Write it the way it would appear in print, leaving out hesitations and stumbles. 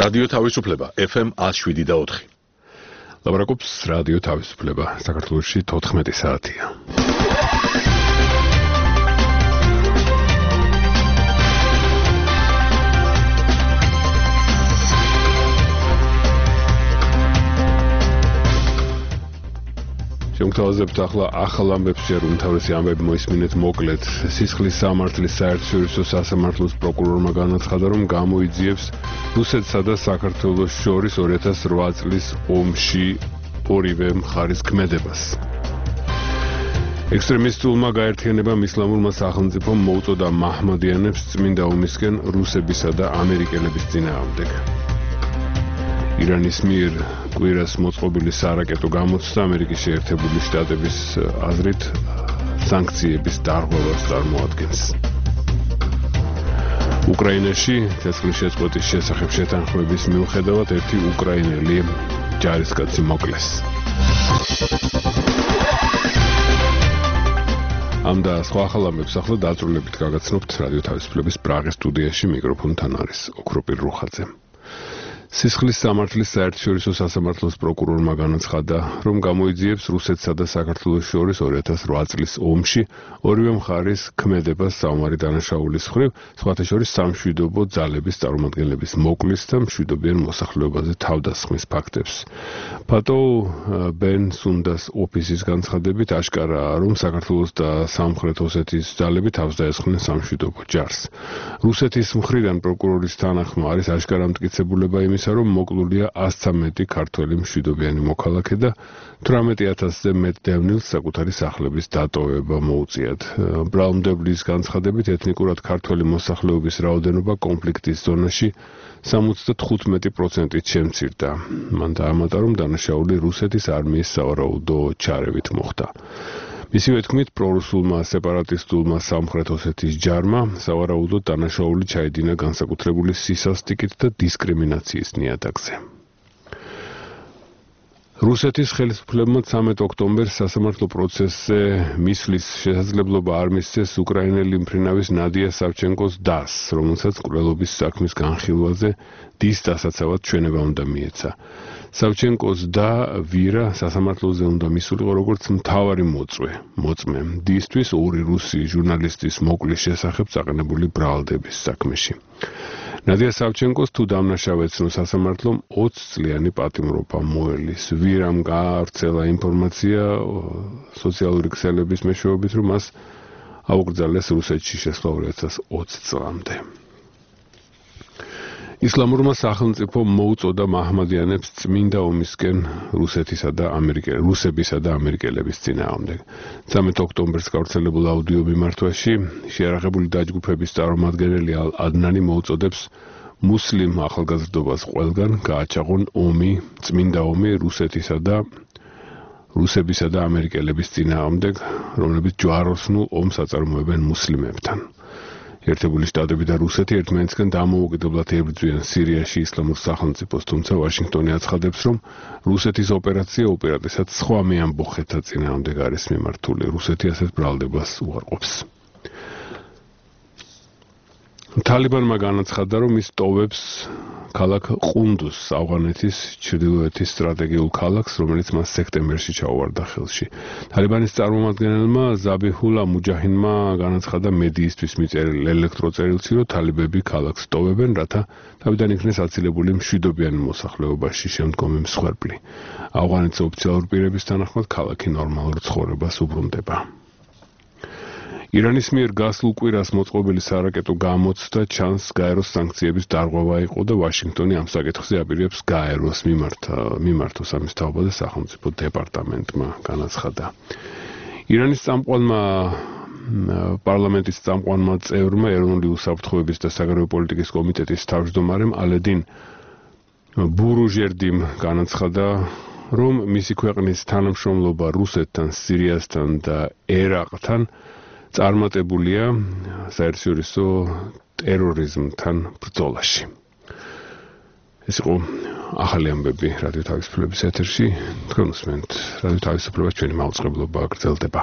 რადიო თავისუფლება FM 107.4. ლაპარაკობს რადიო თავისუფლება. საქართველოში 14 საათია. შემოგთავაზებთ ახლა ახალ ამბებს, უმთავრესი ამბები მოისმინეთ მოკლედ. სისხლის სამართლის საერთაშორისო სასამართლოს პროკურორმა განაცხადა, რომ გამოიძიებს რუსეთსა და საქართველოს შორის 2008 წლის ომში ორივე მხარის ქმედებას. ექსტრემისტულმა გაერთიანებამ ისლამურმა სახელმწიფომ მოუწოდა მაჰმადიანებს წმინდა ომისკენ რუსებისა და ამერიკელების წინააღმდეგ. ირანის მიერ კვირას მოწყობილი სარაკეტო გამოცდა ამერიკის შეერთებული შტატების აზრით სანქციების დარღვევას წარმოადგენს. უკრაინაში ცეცხლის შეწყვეტის შესახებ შეთანხმების მიუხედავად ერთი უკრაინელი ჯარისკაცი მოკლეს. ამ და სხვა ახალ ამბებს ახლა დაწვრილებით გაგაცნობთ რადიო თავისუფლების პრაღის სტუდიაში. მიკროფონთან არის ოქროპირ რუხაძე. სისხლის სამართლის საერთაშორისო სასამართლოს პროკურორმა განაცხადა, რომ გამოიძიებს რუსეთსა და საქართველოს შორის 2008 წლის ომში ორივე მხარის ქმედებას საომარი დანაშაულის მხრივ, სხვათა შორის სამშვიდობო ძალების წარმომადგენლების მოკლის და მშვიდობიან მოსახლეობაზე თავდასხმის ფაქტებს. ფატო ბენ სუნდას ოფისის განცხადებით აშკარაა, რომ საქართველოს და სამხრეთ ოსეთის ძალები თავს დაესხნენ სამშვიდობო ჯარს. რუსეთის მხრიდან პროკურორის თანახმა არის აშკარა მტკიცებულება იმის, რომ მოკლულია 113 ქართველი მშვიდობიანი მოქალაქე და 18,000-ზე მეტ დევნილს საკუთარი სახლების დატოვება მოუწიათ. ბრალმდებლის განცხადებით ეთნიკურად ქართველი მოსახლეობის რაოდენობა კონფლიქტის ზონაში 75%-ით შემცირდა. მან დაამატა, რომ დანაშაული რუსეთის არმიის სავარაუდო ჩარევით მოხდა. მისივე თქმით, პრორუსულმა სეპარატისტულმა სამხრეთ ოსეთის ჯარმა სავარაუდოდ დანაშაული ჩაედინა განსაკუთრებული სისასტიკით და დისკრიმინაციის ნიადაგზე. რუსეთის ხელისუფლებმა 13 ოქტომბერს სასამართლო პროცესზე მისვლის შესაძლებლობა არ მისცეს უკრაინელი მფრინავის ნადია სავჩენკოს დას, რომელსაც მკვლელობის საქმის განხილვაზე დის დასაცავად ჩვენება უნდა მიეცა. სავჩენკოს და ვირა სასამართლოზე უნდა მისულიყო როგორც მთავარი მოწმე დისთვის ორი რუსი ჟურნალისტის მოკლის შესახებ წაყენებული ბრალდების საქმეში. ნადია სავჩენკოს თუ დამნაშავე ეცნო სასამართლომ 20 წლიანი პატიმრობა მოელის. ვირამ გაავრცელა ინფორმაცია სოციალური ქსელების მეშვეობით, რომ მას აუკრძალეს რუსეთში შესვლა 2020 წლამდე. ისლამურმა სახელმწიფომ მოუწოდა მაჰმადიანებს წმინდა ომისკენ რუსებისა და ამერიკელების წინააღმდეგ. 13 ოქტომბერს გავრცელებულ აუდიო მიმართვაში შეიარაღებული დაჯგუფების წარმომადგენელი ადნანი მოუწოდებს მუსლიმ ახალგაზრდობას ყველგან გააჩაღონ წმინდა ომი რუსებისა და ამერიკელების წინააღმდეგ, რომლებიც ჯვაროსნულ ომს აწარმოებენ მუსლიმებთან. ერთებული შტატები და რუსეთი ერთმანეთისგან დამოუკიდებლად ებრძვიან სირიაში ისლამურ სახელმწიფოს, თუმცა ვაშინგტონი აცხადებს, რომ რუსეთის ოპერაცია უპირატესად სხვა მეამბოხეთა წინააღმდეგ არის მიმართული. რუსეთი ასეთ ბრალდებას უარყოფს. თალიბანმა განაცხადა, რომ ის ტოვებს ქალაქ ყუნდუს, ავღანეთის ჩრდილოეთის სტრატეგიულ ქალაქს, რომელიც მას სექტემბერში ჩაუვარდა ხელში. თალიბანის წარმომადგენელმა ზაბიჰულა მუჯაჰინმა განაცხადა მედიისთვის მიწერილ ელექტროწერილში, რომ თალიბები ქალაქს ტოვებენ, რათა თავიდან იქნეს აცილებული მშვიდობიანი მოსახლეობაში შემდგომი მსხვერპლი. ავღანეთის ოფიციალური პირების თანახმად ქალაქი ნორმალურ ცხოვრებას უბრუნდება. ირანის მიერ გასულ კვირას მოწყობილი სარაკეტო გამოცდა ჩანს გაეროს სანქციების დარღვევა იყო და ვაშინგტონი ამ საკითხზე აპირებს გაეროს მიმართოს ამის თაობაზე სახელმწიფო დეპარტამენტმა განაცხადა. ირანის პარლამენტის წამყვანმა წევრმა ეროვნული უსაფრთხოების და საგარეო პოლიტიკის კომიტეტის თავმჯდომარემ ალედინ ბურუჟერდიმ განაცხადა, რომ მისი ქვეყნის თანამშრომლობა რუსეთთან, სირიასთან და ერაყთან წარმატებულია საერთაშორისო ტერორიზმთან ბრძოლაში. ეს იყო ახალი ამბები რადიო თავისუფლების ეთერში. თქვენ უსმენთ რადიო თავისუფლებას, ჩვენი მაუწყებლობა გრძელდება.